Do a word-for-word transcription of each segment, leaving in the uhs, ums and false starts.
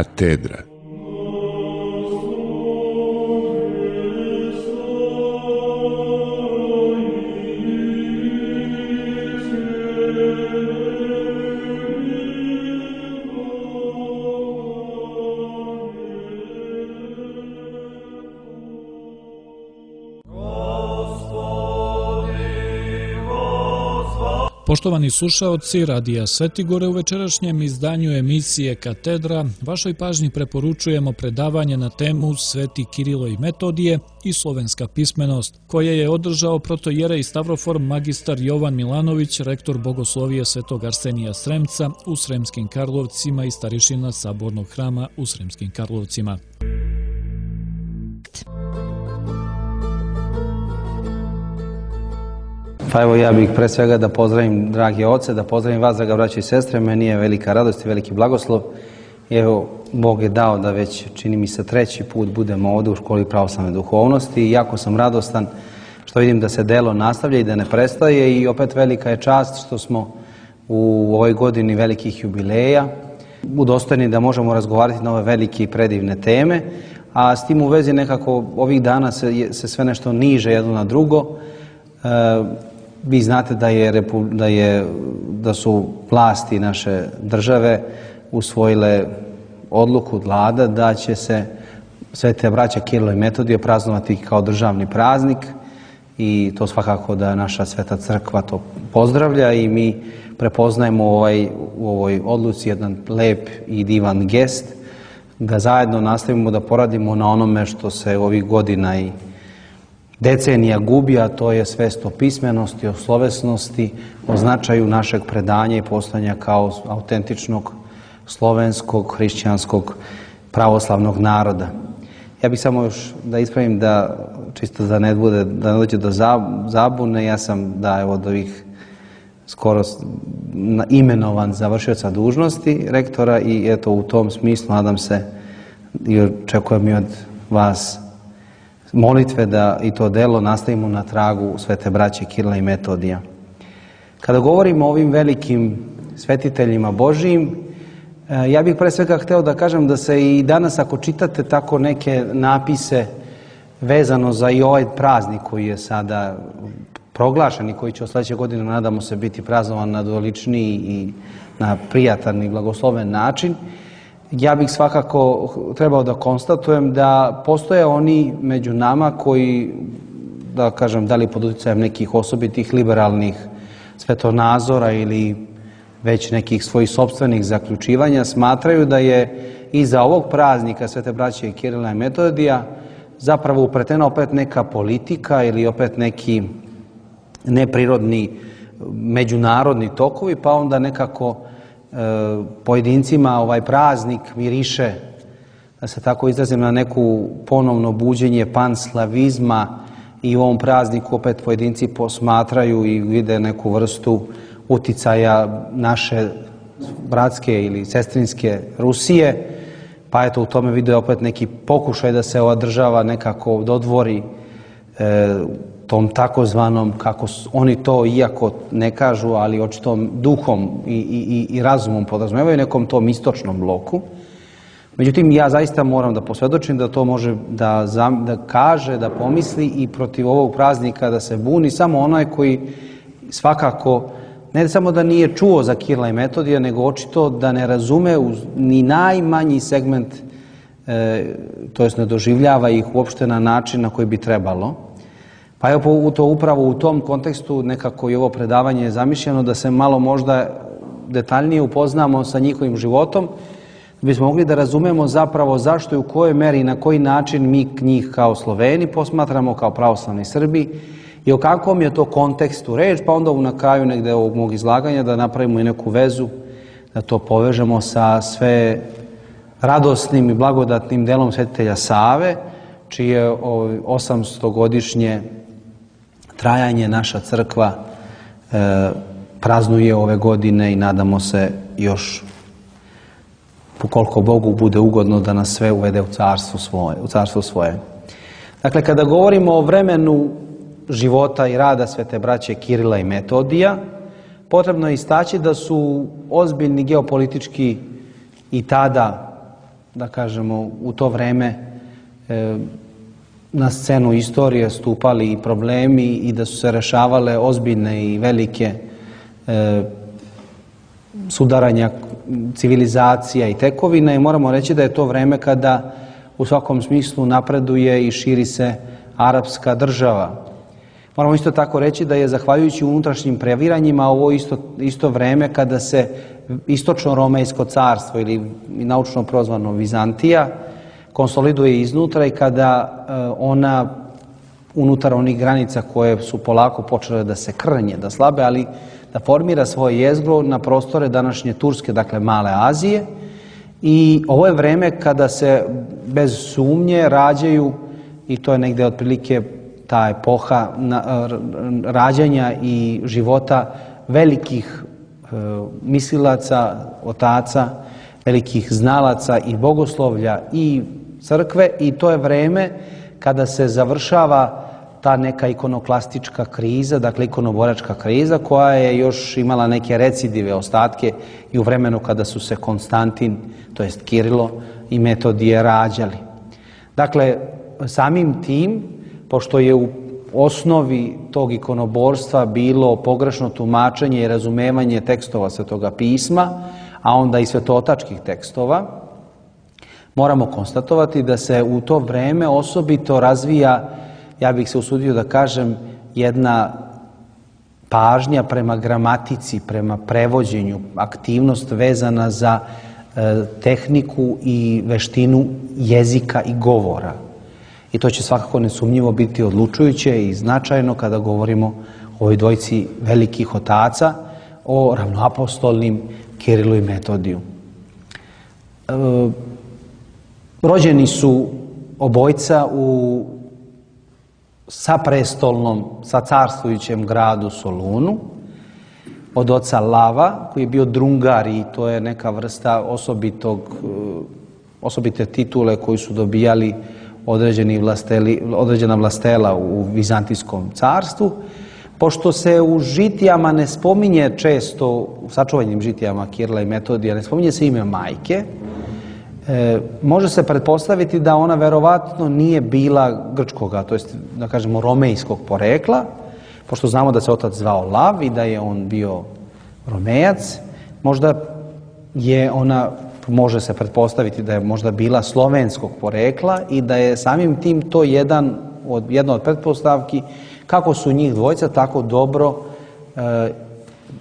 Katedra. Poštovani slušaoci Radija Svetigore, u večerašnjem izdanju emisije Katedra vašoj pažnji preporučujemo predavanje na temu Sveti Kirilo i Metodije i slovenska pismenost, koje je održao protojerej Stavrofor magistar Jovan Milanović, rektor Bogoslovije Svetog Arsenija Sremca u Sremskim Karlovcima i starišina Sabornog hrama u Sremskim Karlovcima. Pa evo ja bih pre svega da pozdravim drage oce, da pozdravim vas, draga braćo i sestre. Meni je velika radost i veliki blagoslov. Evo, Bog je dao da već, čini mi se, treći put budemo ovdje u školi pravoslavne duhovnosti i jako sam radostan što vidim da se delo nastavlja i da ne prestaje i opet velika je čast što smo u ovoj godini velikih jubileja udostojni da možemo razgovarati na ove velike i predivne teme, a s tim u vezi nekako ovih dana se, se sve nešto niže jedno na drugo. E, Vi znate da, je, da, je, da su vlasti naše države usvojile odluku vlada da će se Svete braća Kirilo i Metodije praznovati kao državni praznik i to svakako da naša Sveta crkva to pozdravlja i mi prepoznajemo ovaj, u ovoj odluci jedan lep i divan gest da zajedno nastavimo da poradimo na onome što se ovih godina i decenija gubi, a to je svest o pismenosti, o slovesnosti, o značaju našeg predanja i postojanja kao autentičnog slovenskog, hrišćanskog, pravoslavnog naroda. Ja bih samo još da ispravim da, čisto da ne bude, da ne dođe do zabune, ja sam da evo od ovih skoro imenovan za vršioca dužnosti rektora i eto u tom smislu nadam se i očekujem i od vas molitve da i to delo nastavimo na tragu Svete braće Kirila i Metodija. Kada govorimo o ovim velikim svetiteljima Božijim, ja bih pre svega hteo da kažem da se i danas ako čitate tako neke napise vezano za i ovaj praznik koji je sada proglašen i koji će od sledeće godine nadamo se biti praznovan na doličniji i na prijatan i blagosloven način, ja bih svakako trebao da konstatujem da postoje oni među nama koji, da kažem, da li pod uticajem nekih osobitih liberalnih svetonazora ili već nekih svojih sopstvenih zaključivanja, smatraju da je iza ovog praznika Svete braće Kirila i Metodija zapravo upletena opet neka politika ili opet neki neprirodni međunarodni tokovi, pa onda nekako pojedincima ovaj praznik miriše, da se tako izrazim, na neku ponovno buđenje panslavizma i u ovom prazniku opet pojedinci posmatraju i vide neku vrstu uticaja naše bratske ili sestrinske Rusije, pa eto u tome vide opet neki pokušaj da se ova država nekako dodvori e, tom takozvanom, kako oni to iako ne kažu, ali očito duhom i, i, i razumom podrazumevaju, nekom tom istočnom bloku. Međutim, ja zaista moram da posvjedočim da to može da, da kaže, da pomisli i protiv ovog praznika da se buni samo onaj koji svakako ne samo da nije čuo za Kirila i Metodija, nego očito da ne razume ni najmanji segment, e, to jest ne doživljava ih uopšte na način na koji bi trebalo. Pa evo to upravo u tom kontekstu nekako i ovo predavanje je zamišljeno da se malo možda detaljnije upoznamo sa njihovim životom, da bismo mogli da razumemo zapravo zašto i u kojoj meri i na koji način mi njih kao Sloveni posmatramo, kao pravoslavni Srbi i o kakvom je to kontekstu reč, pa onda na kraju negde ovog mog izlaganja da napravimo i neku vezu, da to povežemo sa sve radosnim i blagodatnim delom svetitelja Save, čije osamstogodišnje trajanje naša crkva e, praznuje ove godine i nadamo se još ukoliko Bogu bude ugodno da nas sve uvede u carstvo svoje. U carstvo svoje. Dakle, kada govorimo o vremenu života i rada Svete braće Kirila i Metodija, potrebno je istaći da su ozbiljni geopolitički i tada da kažemo, u to vreme na scenu istorije stupali i problemi i da su se rešavale ozbiljne i velike sudaranja civilizacija i tekovina i moramo reći da je to vreme kada u svakom smislu napreduje i širi se arapska država. Moramo isto tako reći da je zahvaljujući unutrašnjim previranjima ovo isto, isto vreme kada se istočno-romejsko carstvo ili naučno prozvano Vizantija konsoliduje iznutra i kada ona unutar onih granica koje su polako počele da se krnje, da slabe, ali da formira svoje jezgro na prostore današnje Turske, dakle Male Azije. I ovo je vreme kada se bez sumnje rađaju, i to je negde otprilike ta epoha rađanja i života velikih mislilaca, otaca, velikih znalaca i bogoslovlja i crkve, i to je vreme kada se završava ta neka ikonoklastička kriza, dakle ikonoboračka kriza, koja je još imala neke recidive, ostatke i u vremenu kada su se Konstantin, to jest Kirilo i Metodije rađali. Dakle, samim tim, pošto je u osnovi tog ikonoborstva bilo pogrešno tumačenje i razumevanje tekstova Svetoga pisma, a onda i svetotačkih tekstova, moramo konstatovati da se u to vreme osobito razvija, ja bih se usudio da kažem, jedna pažnja prema gramatici, prema prevođenju, aktivnost vezana za e, tehniku i veštinu jezika i govora. I to će svakako nesumnjivo biti odlučujuće i značajno kada govorimo o ovoj dvojici velikih otaca, o ravnoapostolnim Kirilu i Metodiju. E, rođeni su obojca u saprestolnom, sa carstvujućem gradu Solunu, od oca Lava, koji je bio drungar, i to je neka vrsta osobitog, osobite titule koju su dobijali određeni vlasteli, određena vlastela u Vizantijskom carstvu. Pošto se u žitijama ne spominje često, u sačuvanjem žitijama Kirila i Metodija, ne spominje se ime majke, E, može se pretpostaviti da ona verovatno nije bila grčkoga, to jest da kažemo romejskog porekla, pošto znamo da se otac zvao Lav i da je on bio Romejac. Možda je ona, može se pretpostaviti da je možda bila slovenskog porekla i da je samim tim to jedan od, jedna od pretpostavki kako su njih dvojica tako dobro e,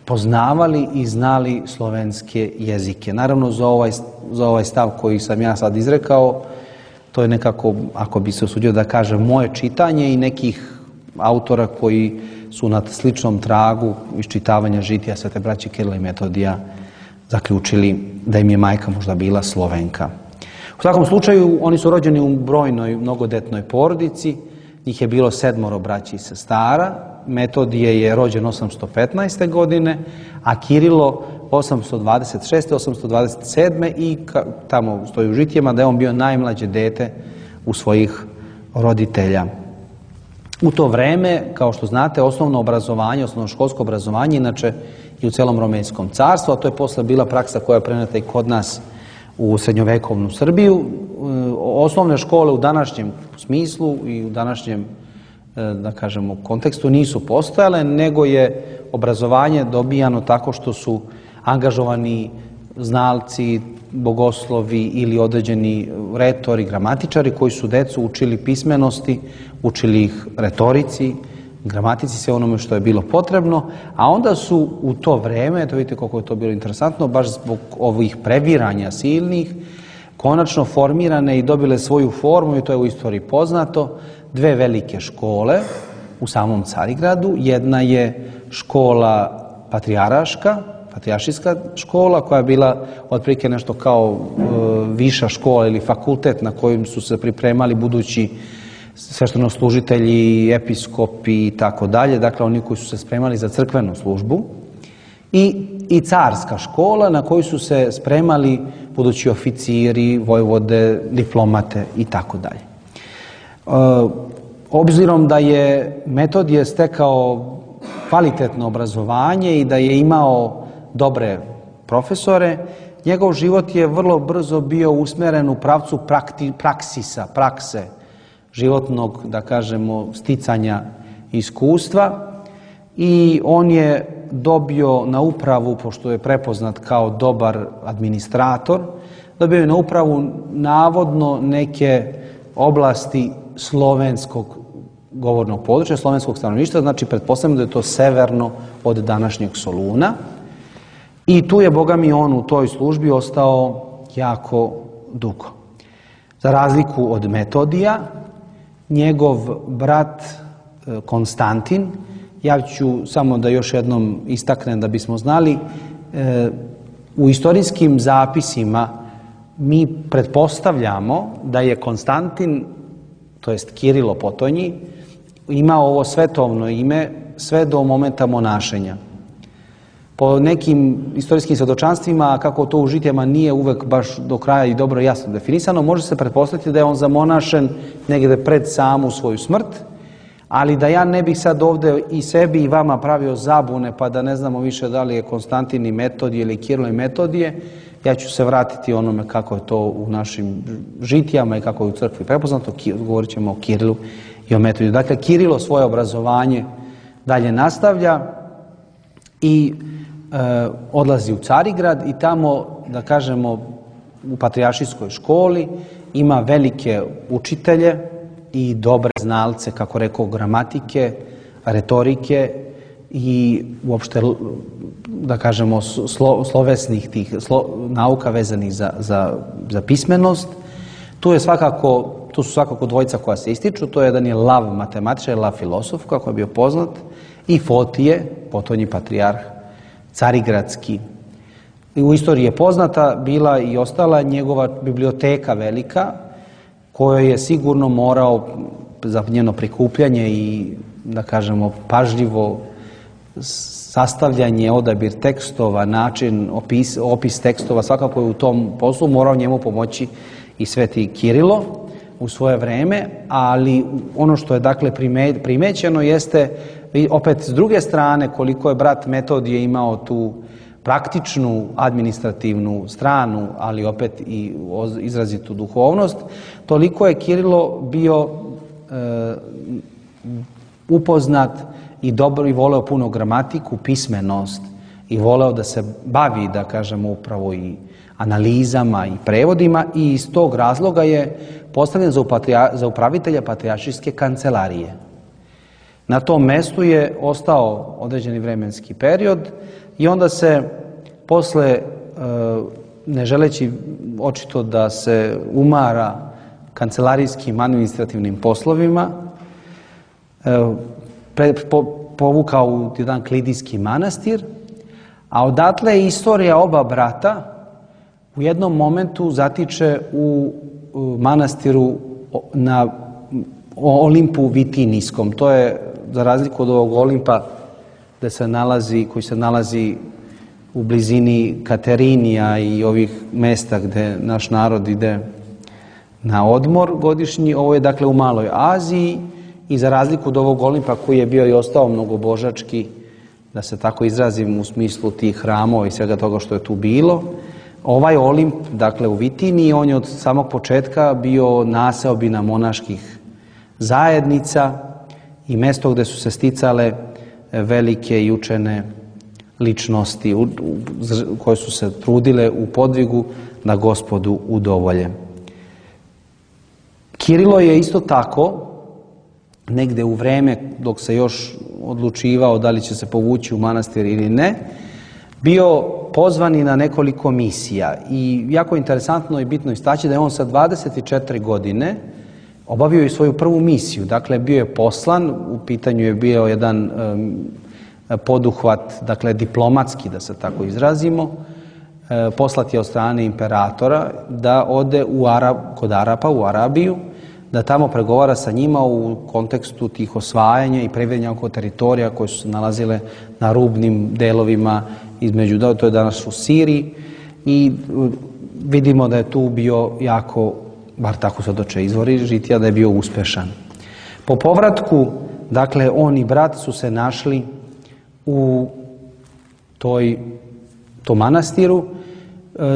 poznavali i znali slovenske jezike. Naravno, za ovaj, za ovaj stav koji sam ja sad izrekao, to je nekako, ako bi se usudio da kažem, moje čitanje i nekih autora koji su na sličnom tragu iščitavanja žitija Svete braće Kirila i Metodija zaključili da im je majka možda bila Slovenka. U svakom slučaju, oni su rođeni u brojnoj, mnogodetnoj porodici, njih je bilo sedmoro braći i sestara. Metodije je rođen osamsto petnaeste. godine, a Kirilo osamsto dvadeset šeste. osamsto dvadeset sedme. i ka, tamo stoji u žitijama da je on bio najmlađe dete u svojih roditelja. U to vreme, kao što znate, osnovno obrazovanje, osnovnoškolsko obrazovanje, inače i u celom Romejskom carstvu, a to je posle bila praksa koja je preneta i kod nas u srednjovekovnu Srbiju. Osnovne škole u današnjem smislu i u današnjem, da kažemo, kontekstu nisu postojale, nego je obrazovanje dobijano tako što su angažovani znalci, bogoslovi ili određeni retori, gramatičari koji su decu učili pismenosti, učili ih retorici, gramatici, sve onome što je bilo potrebno, a onda su u to vreme, to vidite koliko je to bilo interesantno, baš zbog ovih previranja silnih, konačno formirane i dobile svoju formu, i to je u istoriji poznato, dve velike škole u samom Carigradu. Jedna je škola patrijaraška, patrijaršijska škola, koja je bila otprilike nešto kao e, viša škola ili fakultet na kojem su se pripremali budući sveštenoslужitelji, episkopi i tako dalje, dakle oni koji su se spremali za crkvenu službu, i, i carska škola na koju su se spremali budući oficiri, vojvode, diplomate i tako dalje. Obzirom da je Metodije stekao kvalitetno obrazovanje i da je imao dobre profesore, njegov život je vrlo brzo bio usmeren u pravcu prakti, praksisa, prakse, životnog, da kažemo, sticanja iskustva i on je dobio na upravu, pošto je prepoznat kao dobar administrator, dobio je na upravu navodno neke oblasti slovenskog govornog područja, slovenskog stanovništva, znači pretpostavljamo da je to severno od današnjeg Soluna. I tu je, Boga mi, on u toj službi ostao jako dugo. Za razliku od Metodija, njegov brat Konstantin, ja ću samo da još jednom istaknem da bismo znali, u istorijskim zapisima mi pretpostavljamo da je Konstantin, to jest Kirilo Potonji, imao ovo svetovno ime sve do momenta monašenja. Po nekim istorijskim svjedočanstvima, kako to u žitijama nije uvek baš do kraja i dobro jasno definisano, može se pretpostaviti da je on zamonašen negde pred samu svoju smrt, ali da ja ne bih sad ovde i sebi i vama pravio zabune, pa da ne znamo više da li je Konstantin i Metodije ili Kirilo i Metodije, ja ću se vratiti onome kako je to u našim žitijama i kako je u crkvi prepoznato, govorit ćemo o Kirilu i o Metodiju. Dakle, Kirilo svoje obrazovanje dalje nastavlja i e, odlazi u Carigrad i tamo, da kažemo, u patrijaršijskoj školi ima velike učitelje i dobre znalce, kako rekao, gramatike, retorike i uopšte, da kažemo, slo, slovesnih tih slo, nauka vezanih za, za, za pismenost. Tu je svakako, tu su svakako dvojica koja se ističu, to je jedan je Lav matematičar, Lav filosof, kako je bio poznat, i Fotije, potonji patrijarh, carigradski. I u istoriji je poznata bila i ostala njegova biblioteka velika, kojoj je sigurno morao za njeno prikupljanje i, da kažemo, pažljivo sastavljanje, odabir tekstova, način, opis, opis tekstova, svakako je u tom poslu morao njemu pomoći i sveti Kirilo u svoje vreme, ali ono što je, dakle, primećeno jeste, opet s druge strane, koliko je brat Metodije imao tu praktičnu, administrativnu stranu, ali opet i izrazitu duhovnost, toliko je Kirilo bio e, upoznat i dobro i voleo puno gramatiku, pismenost i voleo da se bavi, da kažemo, upravo i analizama i prevodima i iz tog razloga je postavljen za, upatrija, za upravitelja patrijaršijske kancelarije. Na tom mestu je ostao određeni vremenski period i onda se posle, ne želeći očito da se umara kancelarijskim administrativnim poslovima, povukao u jedan klidijski manastir, a odatle je istorija oba brata u jednom momentu zatiče u manastiru na Olimpu Vitinijskom. To je, za razliku od ovog Olimpa gde se nalazi, koji se nalazi u blizini Katerinija i ovih mesta gde naš narod ide na odmor godišnji, ovo je, dakle, u Maloj Aziji i za razliku od ovog Olimpa koji je bio i ostao mnogobožački, da se tako izrazim, u smislu tih hramova i svega toga što je tu bilo, ovaj Olimp, dakle, u Vitiniji, on je od samog početka bio naseobina monaških zajednica i mesto gde su se sticale velike i učene ličnosti koje su se trudile u podvigu da Gospodu udovolje. Kirilo je isto tako, negde u vreme dok se još odlučivao da li će se povući u manastir ili ne, bio pozvan na nekoliko misija. I jako interesantno i bitno istaći da je on sa dvadeset četiri godine obavio i svoju prvu misiju. Dakle, bio je poslan, u pitanju je bio jedan um, poduhvat, dakle, diplomatski, da se tako izrazimo, e, poslat je od strane imperatora da ode u Arab, kod Arapa u Arabiju, da tamo pregovara sa njima u kontekstu tih osvajanja i prevedanja oko teritorija koje su se nalazile na rubnim delovima između, to je danas u Siriji, i vidimo da je tu bio jako, bar tako se doče izvori žitija, da je bio uspešan. Po povratku, dakle, on i brat su se našli u toj, tom manastiru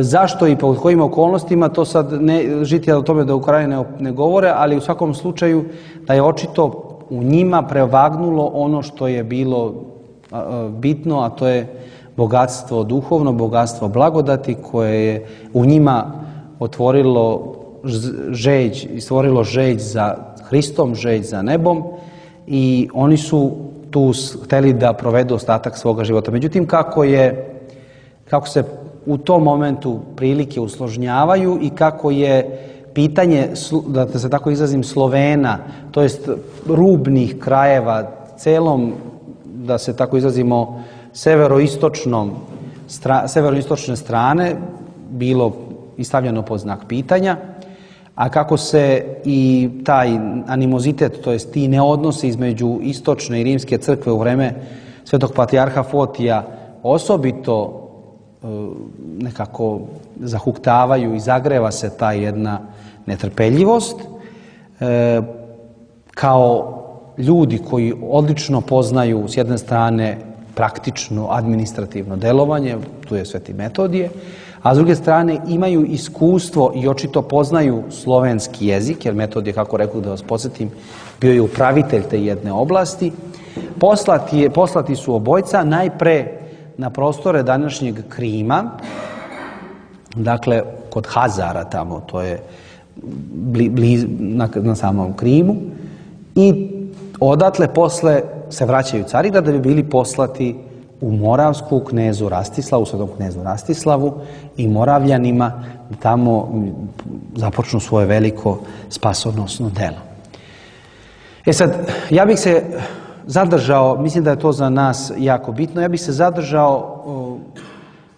Zašto i pod kojim okolnostima, to sad ne, žitelji o tome da u Korani ne, ne govore, ali u svakom slučaju da je očito u njima prevagnulo ono što je bilo bitno, a to je bogatstvo duhovno, bogatstvo blagodati koje je u njima otvorilo žeđ i stvorilo žeđ za Hristom, žeđ za nebom i oni su tu hteli da provedu ostatak svoga života. Međutim, kako je, kako se u tom momentu prilike usložnjavaju i kako je pitanje, da se tako izrazim, Slovena, to jest rubnih krajeva, celom, da se tako izrazimo, severoistočnom, stra, severoistočne strane bilo i stavljeno pod znak pitanja, a kako se i taj animozitet, to jest ti neodnosi između istočne i rimske crkve u vreme svetog patrijarha Fotija osobito nekako zahuktavaju i zagreva se ta jedna netrpeljivost, e, kao ljudi koji odlično poznaju s jedne strane praktično administrativno delovanje, tu je Sveti Metodije, a s druge strane imaju iskustvo i očito poznaju slovenski jezik, jer Metodije, kako rekao da vas podsjetim, bio je upravitelj te jedne oblasti. Poslati, je, poslati su obojca najpre na prostore današnjeg Krima, dakle kod Hazara tamo, to je bli, bliz, na, na samom Krimu, i odatle posle se vraćaju Carigrad da bi bili poslati u Moravsku knezu Rastislavu, svetom knezu Rastislavu i Moravljanima, da tamo započnu svoje veliko spasonosno delo. E sad, ja bih se zadržao, mislim da je to za nas jako bitno, ja bih se zadržao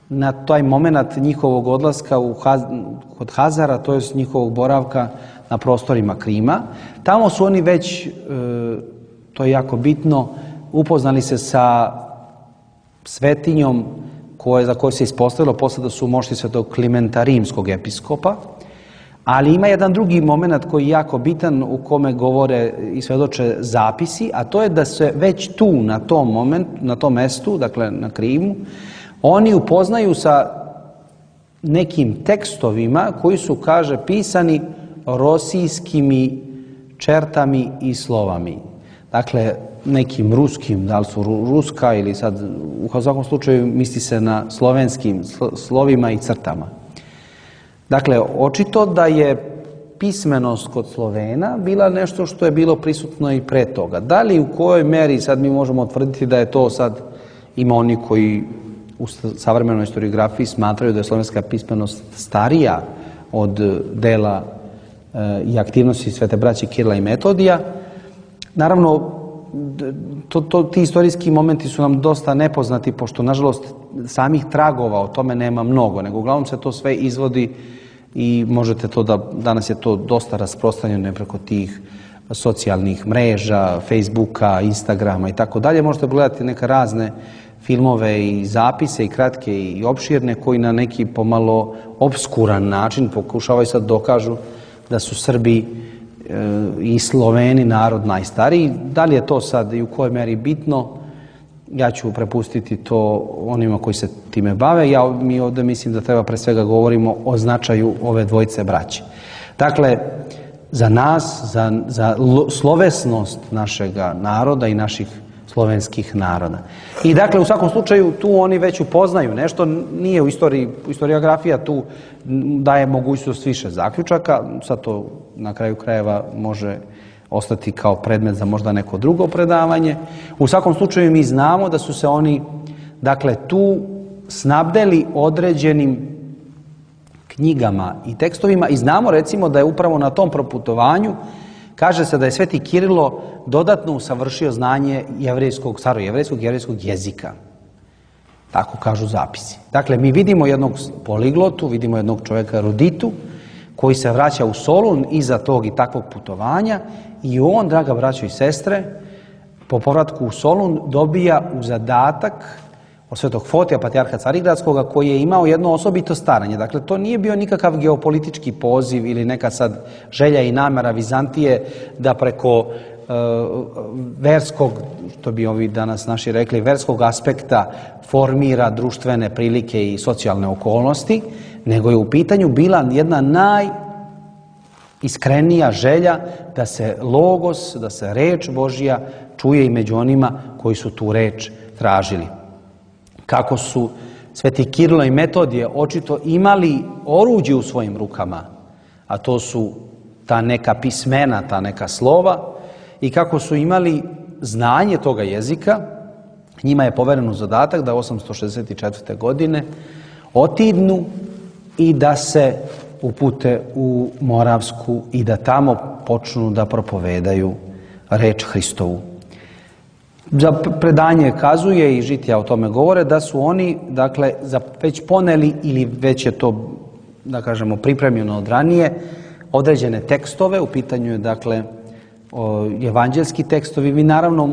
na taj moment njihovog odlaska u Haz, kod Hazara, to je njihovog boravka na prostorima Krima. Tamo su oni već, to je jako bitno, upoznali se sa svetinjom koje, za koju se ispostavilo posle da su mošti svetog Klimenta rimskog episkopa, ali ima jedan drugi moment koji je jako bitan u kome govore i svedoče zapisi, a to je da se već tu na tom momentu, na tom mestu, dakle na Krimu, oni upoznaju sa nekim tekstovima koji su, kaže, pisani rosijskimi čertami i slovami. Dakle, nekim ruskim, da li su ruska ili sad, u svakom slučaju misli se na slovenskim slovima i crtama. Dakle, očito da je pismenost kod Slovena bila nešto što je bilo prisutno i pre toga. Da li u kojoj meri sad mi možemo tvrditi da je to sad, ima oni koji u savremenoj historiografiji smatraju da je slovenska pismenost starija od dela e, i aktivnosti Svete braće Kirila i Metodija. Naravno, to, to, ti istorijski momenti su nam dosta nepoznati, pošto, nažalost, samih tragova o tome nema mnogo, nego uglavnom se to sve izvodi i možete to da, danas je to dosta rasprostranjeno preko tih socijalnih mreža, Facebooka, Instagrama i tako dalje. Možete pogledati neke razne filmove i zapise i kratke i opširne koji na neki pomalo obskuran način pokušavaju sad dokažu da su Srbi i Sloveni narod najstariji. Da li je to sad i u kojoj meri bitno, ja ću prepustiti to onima koji se time bave. Ja mi ovdje mislim da treba pre svega govorimo o značaju ove dvojice braće. Dakle, za nas, za, za slovesnost našega naroda i naših slovenskih naroda. I dakle, u svakom slučaju, tu oni već upoznaju nešto, nije u istoriji, historiografija tu daje mogućnost više zaključaka, sad to na kraju krajeva može ostati kao predmet za možda neko drugo predavanje. U svakom slučaju mi znamo da su se oni, dakle, tu snabdeli određenim knjigama i tekstovima i znamo recimo da je upravo na tom proputovanju, kaže se da je Sveti Kirilo dodatno usavršio znanje jevrejskog, starojevrejskog jevrejskog jezika. Tako kažu zapisi. Dakle, mi vidimo jednog poliglotu, vidimo jednog čovjeka eruditu, koji se vraća u Solun iza tog i takvog putovanja i on, draga braćo i sestre, po povratku u Solun dobija u zadatak od svetog Fotija, patrijarha Carigradskoga, koji je imao jedno osobito staranje. Dakle, to nije bio nikakav geopolitički poziv ili neka sad želja i namera Vizantije da preko verskog, što bi ovi danas naši rekli, verskog aspekta formira društvene prilike i socijalne okolnosti, nego je u pitanju bila jedna najiskrenija želja da se logos, da se reč Božja čuje i među onima koji su tu reč tražili. Kako su sveti Kirilo i Metodije očito imali oruđe u svojim rukama, a to su ta neka pismena, ta neka slova, i kako su imali znanje toga jezika, njima je poveren zadatak da osamsto šezdeset četvrte. godine otidnu i da se upute u Moravsku i da tamo počnu da propovedaju reč Hristovu. Za predanje kazuje i žitija o tome govore da su oni, dakle, već poneli ili već je to, da kažemo, pripremljeno od ranije, određene tekstove, u pitanju je, dakle, evanđelski tekstovi. Vi naravno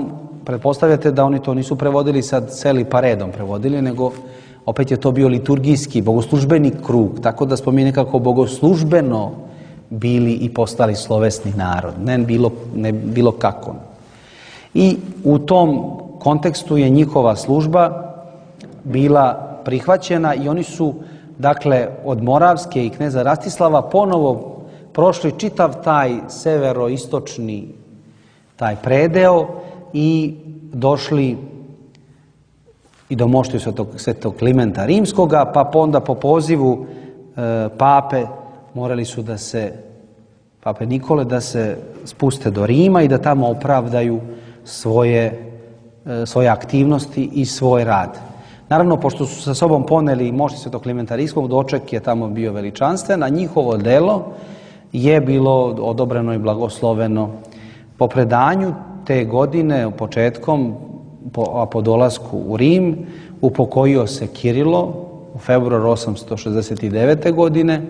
pretpostavljate da oni to nisu prevodili sad celi pa redom prevodili, nego opet je to bio liturgijski, bogoslužbeni krug, tako da smo mi nekako bogoslužbeno bili i postali slovesni narod, ne bilo, ne bilo kako. I u tom kontekstu je njihova služba bila prihvaćena i oni su, dakle, od Moravske i kneza Rastislava ponovo prošli čitav taj severoistočni taj predeo i došli i do moštiju svetog, svetog Klimenta Rimskoga, pa onda po pozivu e, pape morali su da se, pape Nikole, da se spuste do Rima i da tamo opravdaju svoje, e, svoje aktivnosti i svoj rad. Naravno, pošto su sa sobom poneli moštiju svetog Klimenta Rimskog, doček je tamo bio veličanstven, a njihovo delo je bilo odobreno i blagosloveno. Po predanju te godine, početkom, po, po dolasku u Rim, upokojio se Kirilo u februaru osamsto šezdeset devete. godine,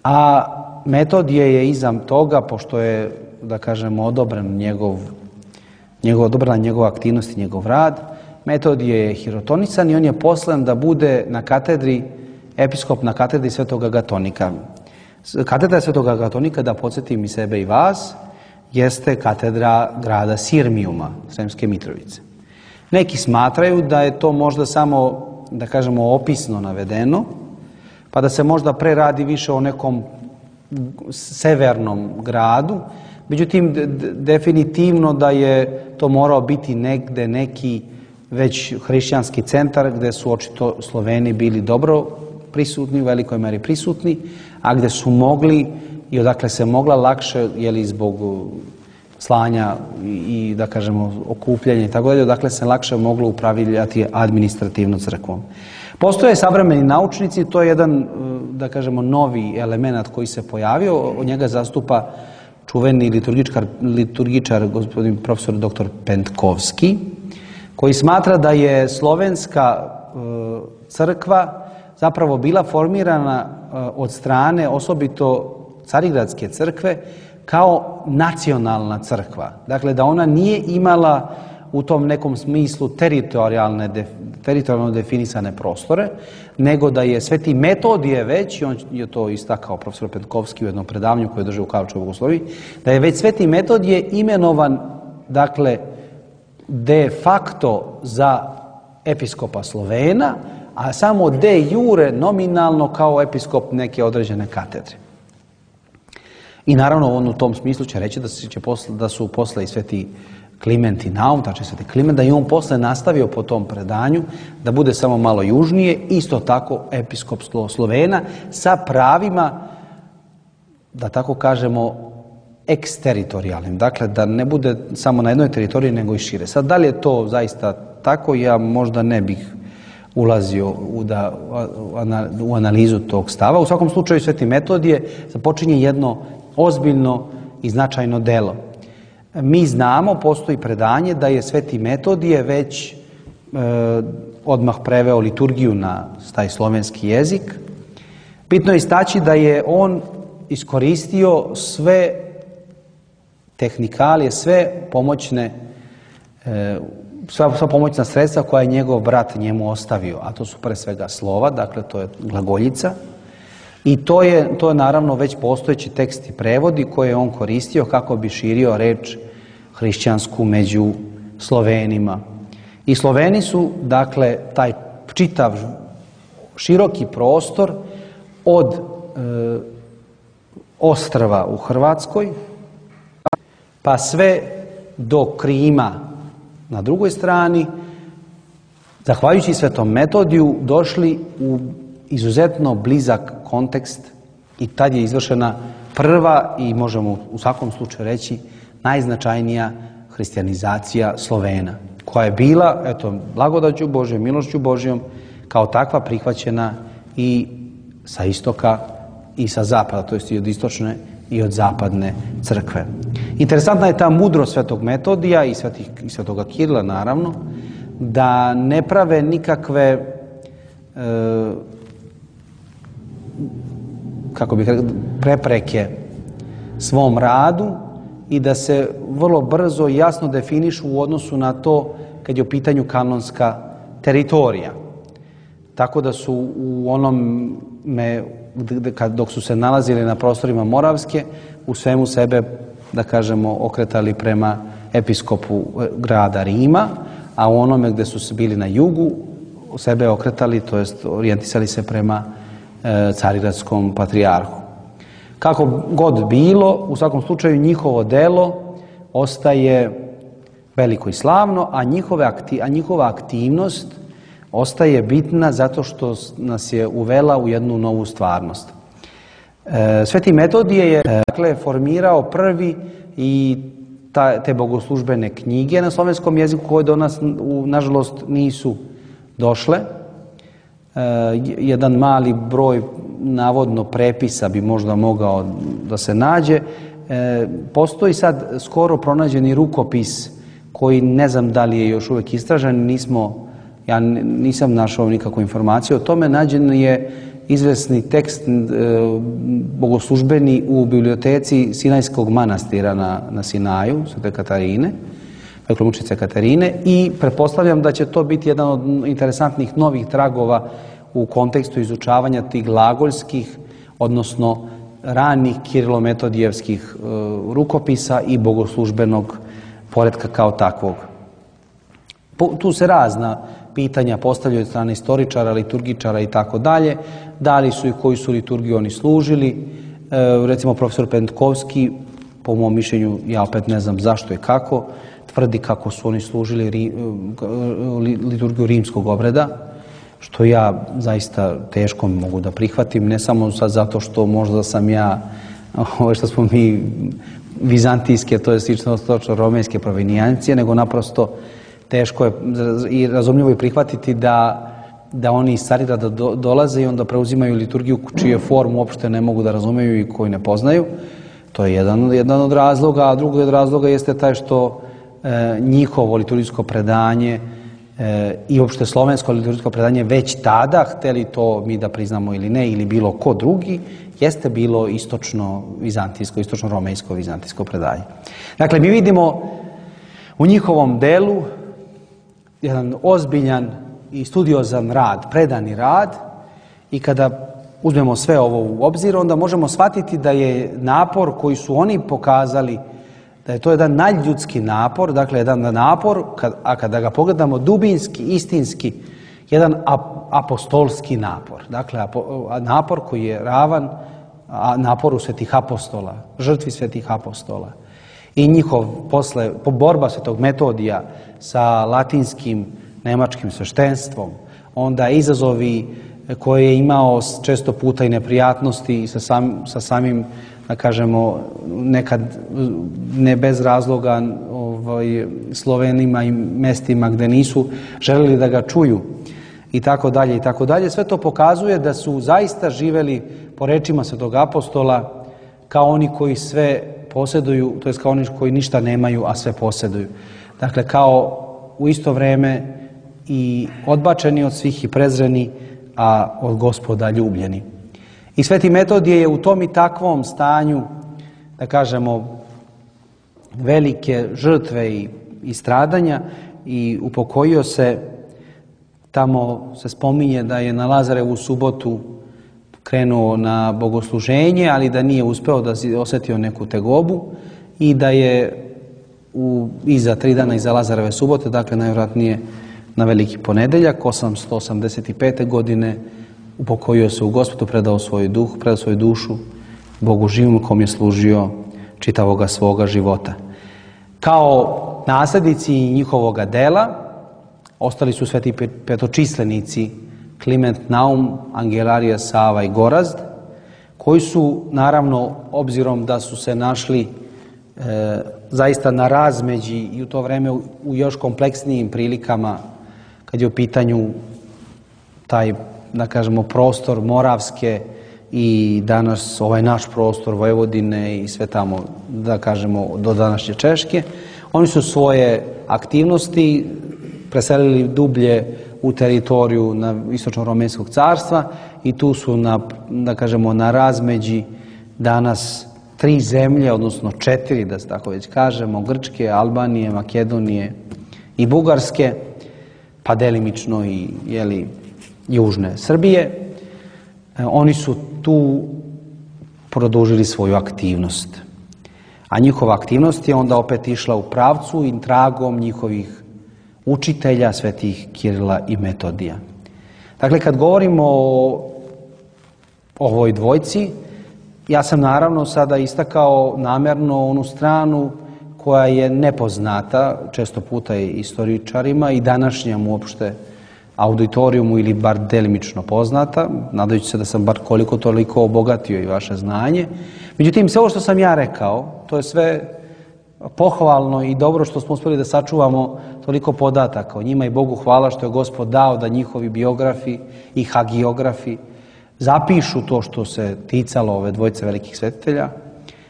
a Metodije je iza toga, pošto je, da kažemo, odobren njegov, njegov, odobrena njegova aktivnost i njegov rad, Metodije je hirotonisan i on je poslan da bude na katedri, episkop na katedri svetog Agatonika. Katedra svetog Agatonika, da podsjetim i sebe i vas, jeste katedra grada Sirmijuma, Sremske Mitrovice. Neki smatraju da je to možda samo, da kažemo, opisno navedeno, pa da se možda pre radi više o nekom severnom gradu. Međutim, definitivno da je to morao biti negde neki već hrišćanski centar gde su očito Sloveni bili dobro prisutni, u velikoj meri prisutni, a gde su mogli i odakle se mogla lakše, jeli zbog slanja i, da kažemo, okupljanja i tako dalje, odakle se lakše moglo upravljati administrativno crkvom. Postoje savremeni naučnici, to je jedan, da kažemo, novi element koji se pojavio, od njega zastupa čuveni liturgičar, liturgičar gospodin profesor doktor Pentkovski, koji smatra da je slovenska crkva zapravo bila formirana od strane osobito Carigradske crkve kao nacionalna crkva. Dakle, da ona nije imala u tom nekom smislu teritorijalne, teritorijalno definisane prostore, nego da je sveti Metodije već, i on je to istakao profesor Pentkovski u jednom predavanju koje je držao u Karlovčevoj Bogosloviji, da je već sveti Metodije imenovan, dakle, de facto za episkopa Slovena, a samo de jure nominalno kao episkop neke određene katedre. I naravno on u tom smislu će reći da, će posle, da su posle i sveti Kliment i Naum, tačnije sveti Kliment, da je on posle nastavio po tom predanju da bude samo malo južnije, isto tako episkop Slovena sa pravima, da tako kažemo, eksteritorijalnim. Dakle, da ne bude samo na jednoj teritoriji, nego i šire. Sad, da li je to zaista tako, ja možda ne bih ulazio u, da, u analizu tog stava. U svakom slučaju, sveti Metodije započinje jedno ozbiljno i značajno delo. Mi znamo, postoji predanje da je sveti Metodije već e, odmah preveo liturgiju na taj slovenski jezik. Bitno je istaći da je on iskoristio sve tehnikalije, sve pomoćne, e, sva, sva pomoćna sredstva koja je njegov brat njemu ostavio, a to su pre svega slova, dakle to je glagoljica, i to je, to je naravno već postojeći tekst i prevodi koje je on koristio kako bi širio reč hrišćansku među Slovenima. I Sloveni su, dakle, taj čitav široki prostor od e, ostrva u Hrvatskoj pa sve do Krima na drugoj strani, zahvaljujući Svetom Metodiju, došli u izuzetno blizak kontekst i tad je izvršena prva i možemo u svakom slučaju reći najznačajnija hrišćanizacija Slovena, koja je bila, eto, blagodaću Božjom, milošću Božjom, kao takva prihvaćena i sa istoka i sa zapada, to jest i od istočne i od zapadne crkve. Interesantna je ta mudrost Svetog Metodija i, svetih, i Svetoga Kirila, naravno, da ne prave nikakve e, kako bih rekao, prepreke svom radu i da se vrlo brzo i jasno definišu u odnosu na to kad je u pitanju kanonska teritorija. Tako da su u onome, dok su se nalazili na prostorima Moravske, u svemu sebe, da kažemo, okretali prema episkopu grada Rima, a u onome gde su bili na jugu, sebe okretali, to jest orijentisali se prema e, carigradskom patrijarhu. Kako god bilo, u svakom slučaju njihovo delo ostaje veliko i slavno, a, njihove akti, a njihova aktivnost ostaje bitna zato što nas je uvela u jednu novu stvarnost. E, Sveti Metodije je dakle, formirao prvi i ta, te bogoslužbene knjige na slovenskom jeziku koje do nas, u, nažalost, nisu došle. E, jedan mali broj navodno prepisa bi možda mogao da se nađe. E, postoji sad skoro pronađeni rukopis koji ne znam da li je još uvijek istražen, nismo, ja nisam našao nikakvu informaciju o tome. Nađen je izvesni tekst e, bogoslužbeni u biblioteci Sinajskog manastira na, na Sinaju, Svete Katarine, dakle mučice Katarine, i pretpostavljam da će to biti jedan od interesantnih novih tragova u kontekstu izučavanja tih glagoljskih, odnosno ranih kirilometodijevskih e, rukopisa i bogoslužbenog poretka kao takvog. Po, tu se razna pitanja postavljaju od strane istoričara, liturgičara i tako dalje. Da li su i koju su liturgiju oni služili. E, recimo profesor Pentkovski, po mom mišljenju, ja opet ne znam zašto i kako, tvrdi kako su oni služili ri, liturgiju rimskog obreda, što ja zaista teško mogu da prihvatim, ne samo sad zato što možda sam ja, ovo što smo mi vizantijske, to je slično romejske provenijencije, nego naprosto teško je i razumljivo je prihvatiti da, da oni iz Carigrada do, dolaze i onda preuzimaju liturgiju čiju formu uopšte ne mogu da razumeju i koju ne poznaju. To je jedan, jedan od razloga, a drugi od razloga jeste taj što e, njihovo liturgijsko predanje e, i uopšte slovensko liturgijsko predanje već tada, hteli to mi da priznamo ili ne, ili bilo ko drugi, jeste bilo istočno-vizantijsko, istočno-romejsko-vizantijsko predanje. Dakle, mi vidimo u njihovom delu jedan ozbiljan i studiozan rad, predani rad, i kada uzmemo sve ovo u obzir, onda možemo shvatiti da je napor koji su oni pokazali, da je to jedan nadljudski napor, dakle jedan napor, a kada ga pogledamo dubinski, istinski, jedan apostolski napor. Dakle, napor koji je ravan naporu svetih apostola, žrtvi svetih apostola. I njihov posle, borba Svetog Metodija sa latinskim, nemačkim sveštenstvom, onda izazovi koje je imao često puta i neprijatnosti sa, sam, sa samim, da kažemo, nekad ne bez razloga ovaj, Slovenima i mestima gde nisu želeli da ga čuju i tako dalje i tako dalje. Sve to pokazuje da su zaista živeli po rečima Svetog apostola kao oni koji sve posjeduju, to jest kao oni koji ništa nemaju, a sve posjeduju. Dakle, kao u isto vreme i odbačeni od svih i prezreni, a od Gospoda ljubljeni. I Sveti Metodije je u tom i takvom stanju, da kažemo, velike žrtve i, i stradanja, i upokojio se, tamo se spominje da je na Lazarevu subotu krenuo na bogosluženje, ali da nije uspeo, da si osetio neku tegobu i da je u, iza tri dana iza Lazareve subote, dakle najvjerojatnije na Veliki ponedeljak, osamsto osamdeset pete. godine, upokojio se u Gospodu, predao svoj duh, predao svoju dušu Bogu živom kom je služio čitavoga svoga života. Kao nasljednici njihovoga dela ostali su sveti petočislenici Kliment Naum, Angelarija, Sava i Gorazd, koji su, naravno, obzirom da su se našli e, zaista na razmeđi i u to vreme u, u još kompleksnijim prilikama, kad je u pitanju taj, da kažemo, prostor Moravske i danas ovaj naš prostor Vojvodine i sve tamo, da kažemo, do današnje Češke, oni su svoje aktivnosti preselili dublje u teritoriju na istočno-romenskog carstva i tu su na, da kažemo, na razmeđi danas tri zemlje, odnosno četiri, da se tako već kažemo, Grčke, Albanije, Makedonije i Bugarske, pa delimično i, jeli, južne Srbije. Oni su tu produžili svoju aktivnost. A njihova aktivnost je onda opet išla u pravcu i tragom njihovih učitelja, svetih Kirila i Metodija. Dakle, kad govorimo o ovoj dvojci, ja sam naravno sada istakao namjerno onu stranu koja je nepoznata, često puta i istoričarima i današnjem uopšte auditorijumu ili bar delimično poznata, nadajući se da sam bar koliko toliko obogatio i vaše znanje. Međutim, sve ovo što sam ja rekao, to je sve pohvalno i dobro što smo uspjeli da sačuvamo toliko podataka o njima i Bogu hvala što je Gospod dao da njihovi biografi i hagiografi zapišu to što se ticalo ove dvojice velikih svetitelja,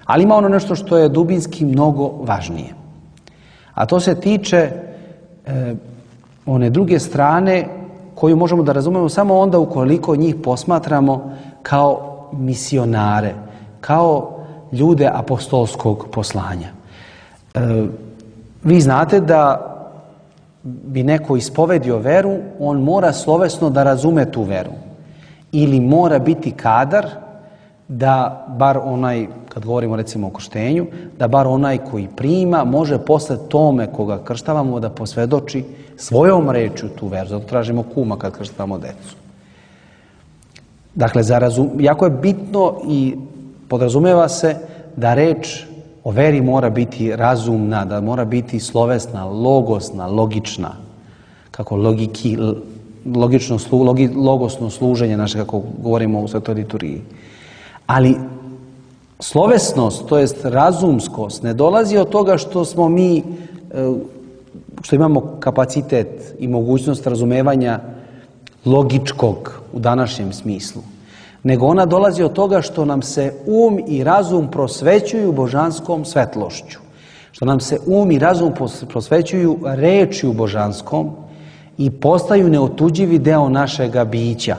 ali ima ono nešto što je dubinski mnogo važnije. A to se tiče e, one druge strane koju možemo da razumemo samo onda ukoliko njih posmatramo kao misionare, kao ljude apostolskog poslanja. E, vi znate da bi neko ispovedio veru, on mora slovesno da razume tu veru. Ili mora biti kadar da bar onaj, kad govorimo recimo o krštenju, da bar onaj koji prima može posle tome koga krštavamo da posvjedoči svojom rečju tu veru. Zato tražimo kuma kad krštavamo decu. Dakle, za razum, jako je bitno i podrazumeva se da reč o veri mora biti razumna, da mora biti slovesna, logosna, logična, kako logiki, logično, logi, logosno služenje naše, kako govorimo u svetoj liturgiji. Ali slovesnost, to jest razumskost, ne dolazi od toga što smo mi, što imamo kapacitet i mogućnost razumevanja logičkog u današnjem smislu, nego ona dolazi od toga što nam se um i razum prosvećuju božanskom svetlošću, što nam se um i razum prosvećuju rečju božanskom i postaju neotuđivi deo našega bića.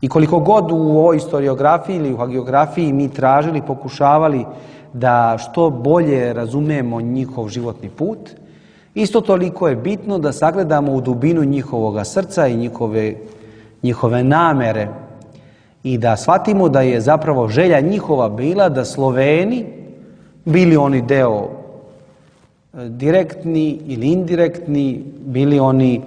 I koliko god u ovoj historiografiji ili u hagiografiji mi tražili, pokušavali da što bolje razumemo njihov životni put, isto toliko je bitno da sagledamo u dubinu njihovoga srca i njihove, njihove namere i da shvatimo da je zapravo želja njihova bila da Sloveni, bili oni deo direktni ili indirektni, bili oni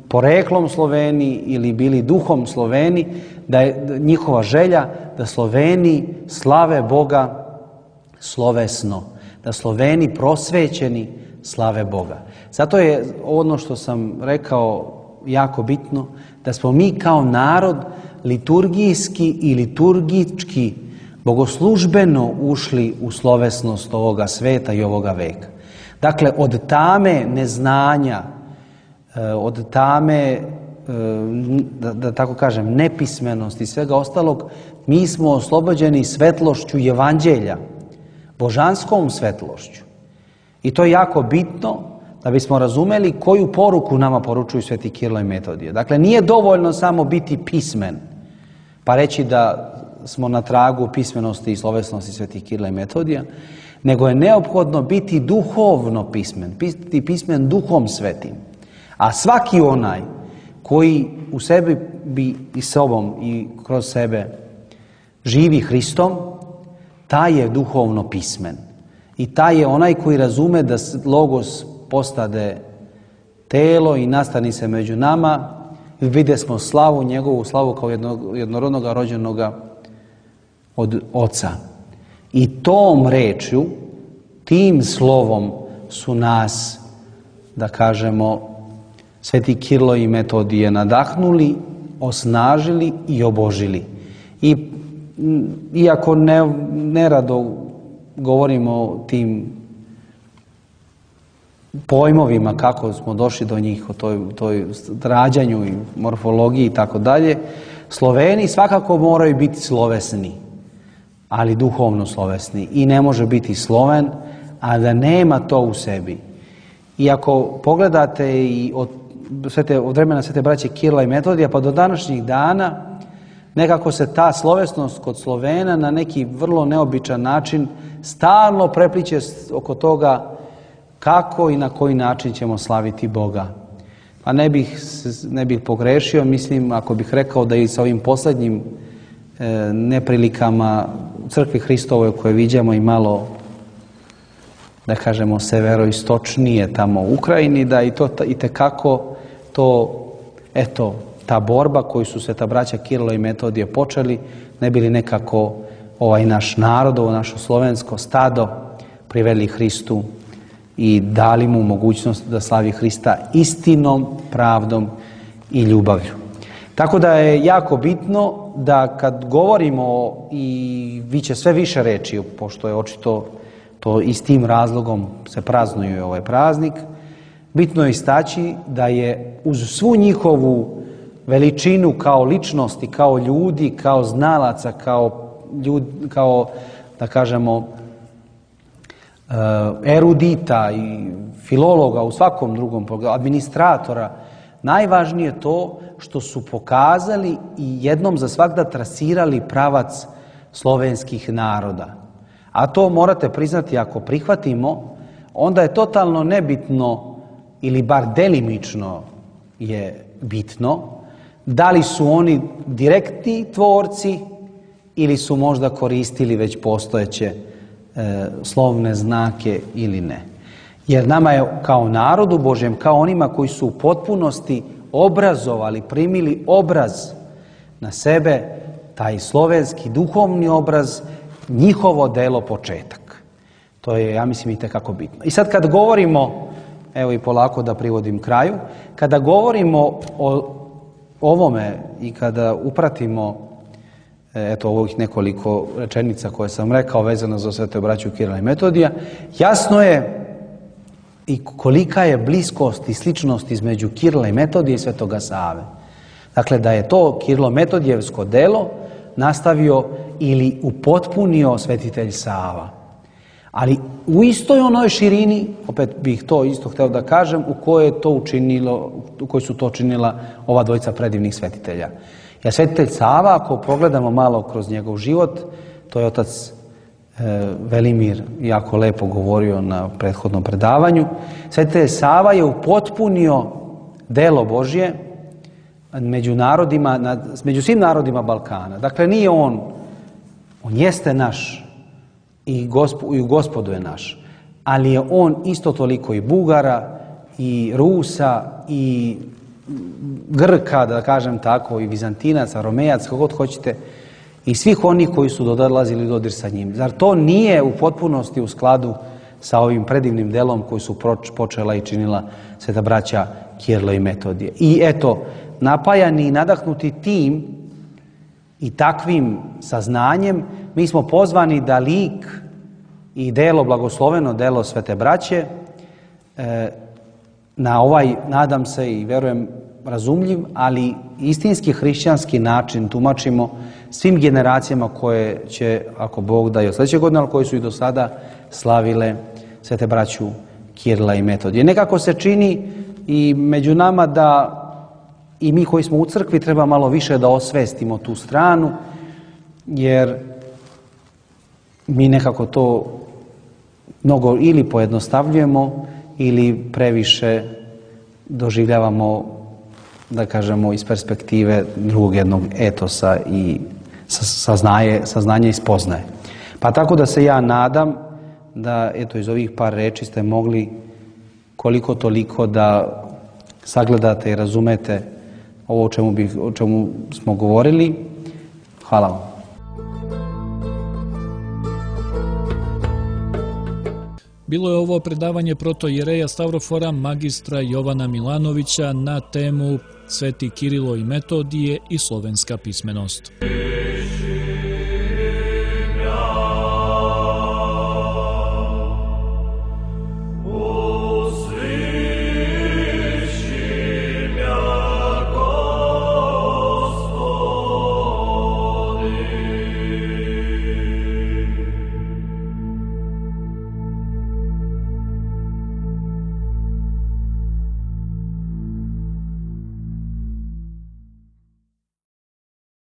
poreklom Sloveni ili bili duhom Sloveni, da je njihova želja da Sloveni slave Boga slovesno, da Sloveni prosvećeni slave Boga. Zato je ono što sam rekao jako bitno, da smo mi kao narod liturgijski i liturgički bogoslužbeno ušli u slovesnost ovoga sveta i ovoga veka. Dakle, od tame neznanja, od tame, da, da tako kažem, nepismenosti i svega ostalog, mi smo oslobođeni svetlošću evanđelja, božanskom svetlošću. I to je jako bitno da bismo razumeli koju poruku nama poručuju sveti Kirilo i Metodije. Dakle, nije dovoljno samo biti pismen, pa reći da smo na tragu pismenosti i slovesnosti svetih Kirila i Metodija, nego je neophodno biti duhovno pismen, biti pismen duhom svetim. A svaki onaj koji u sebi bi i sobom i kroz sebe živi Hristom, taj je duhovno pismen. I taj je onaj koji razume da Logos postade telo i nastani se među nama, i vide smo slavu, njegovu slavu kao jednog, jednorodnog rođenoga od Oca. I tom rečju, tim slovom su nas, da kažemo, sveti Kirilo i Metodije nadahnuli, osnažili i obožili. I iako ne, nerado govorimo o tim pojmovima kako smo došli do njih, o toj, toj rađanju i morfologiji i tako dalje, Sloveni svakako moraju biti slovesni, ali duhovno slovesni. I ne može biti Sloven, a da nema to u sebi. I ako pogledate i od, svete, od vremena svete braće Kirila i Metodija pa do današnjih dana, nekako se ta slovesnost kod Slovena na neki vrlo neobičan način stalno prepliće oko toga kako i na koji način ćemo slaviti Boga. Pa ne bih, ne bih pogrešio, mislim, ako bih rekao da i sa ovim posljednjim e, neprilikama u crkvi Hristovoj koje viđamo i malo, da kažemo, severoistočnije tamo u Ukrajini, da i to i tekako to, eto, ta borba koju su sveta braća Kirilo i Metodije počeli, ne bi li nekako ovaj naš narod, ovo naše slovensko stado priveli Hristu i dali mu mogućnost da slavi Hrista istinom, pravdom i ljubavlju. Tako da je jako bitno da kad govorimo, i vi će sve više reći, pošto je očito to i s tim razlogom se praznuje ovaj praznik, bitno je istaći da je uz svu njihovu veličinu kao ličnosti, kao ljudi, kao znalaca, kao, ljud, kao da kažemo, erudita i filologa u svakom drugom pogledu, administratora, najvažnije je to što su pokazali i jednom za svagda trasirali pravac slovenskih naroda. A to morate priznati, ako prihvatimo, onda je totalno nebitno ili bar delimično je bitno da li su oni direktni tvorci ili su možda koristili već postojeće e, slovne znake ili ne. Jer nama je kao narodu Božjem, kao onima koji su u potpunosti obrazovali, primili obraz na sebe, taj slovenski duhovni obraz, njihovo delo početak. To je, ja mislim, i tekako bitno. I sad kad govorimo, evo i polako da privodim kraju, kada govorimo o ovome i kada upratimo eto ovih nekoliko rečenica koje sam rekao vezano za svete braću Kirila i Metodija, jasno je i kolika je bliskost i sličnost između Kirila i Metodija i svetoga Save. Dakle, da je to Kirilo-Metodijevsko delo nastavio ili upotpunio svetitelj Sava. Ali u istoj onoj širini, opet bih to isto htio da kažem, u kojoj je to učinilo, u kojoj su to činila ova dvojica predivnih svetitelja. Jer svetitelj Sava, ako pogledamo malo kroz njegov život, to je otac e, Velimir jako lepo govorio na prethodnom predavanju, svetitelj Sava je upotpunio delo Božje među narodima, među svim narodima Balkana. Dakle, nije on, on jeste naš i, gospo, i u Gospodu je naš, ali je on isto toliko i Bugara, i Rusa, i Grka, da kažem tako, i Vizantinaca, Romejac, kako god hoćete, i svih onih koji su dolazili dodir sa njim. Zar to nije u potpunosti u skladu sa ovim predivnim delom koji su počela i činila sveta braća Kirilo i Metodije? I eto, napajani i nadahnuti tim i takvim saznanjem, mi smo pozvani da lik i delo, blagosloveno delo svete braće, e, na ovaj, nadam se i verujem, razumljiv, ali istinski hrišćanski način tumačimo svim generacijama koje će, ako Bog da, i od sljedeće godine, ali koje su i do sada slavile svete braću Kirila i Metodije. Nekako se čini i među nama da i mi koji smo u crkvi treba malo više da osvestimo tu stranu, jer mi nekako to mnogo ili pojednostavljujemo ili previše doživljavamo, da kažemo, iz perspektive drugog jednog etosa i saznaje, saznanje i spoznaje. Pa tako da se ja nadam da eto iz ovih par reči ste mogli koliko toliko da sagledate i razumete ovo o čemu, bi, o čemu smo govorili. Hvala vam. Bilo je ovo predavanje protoijereja Stavrofora magistra Jovana Milanovića na temu Sveti Kirilo i Metodije i slovenska pismenost.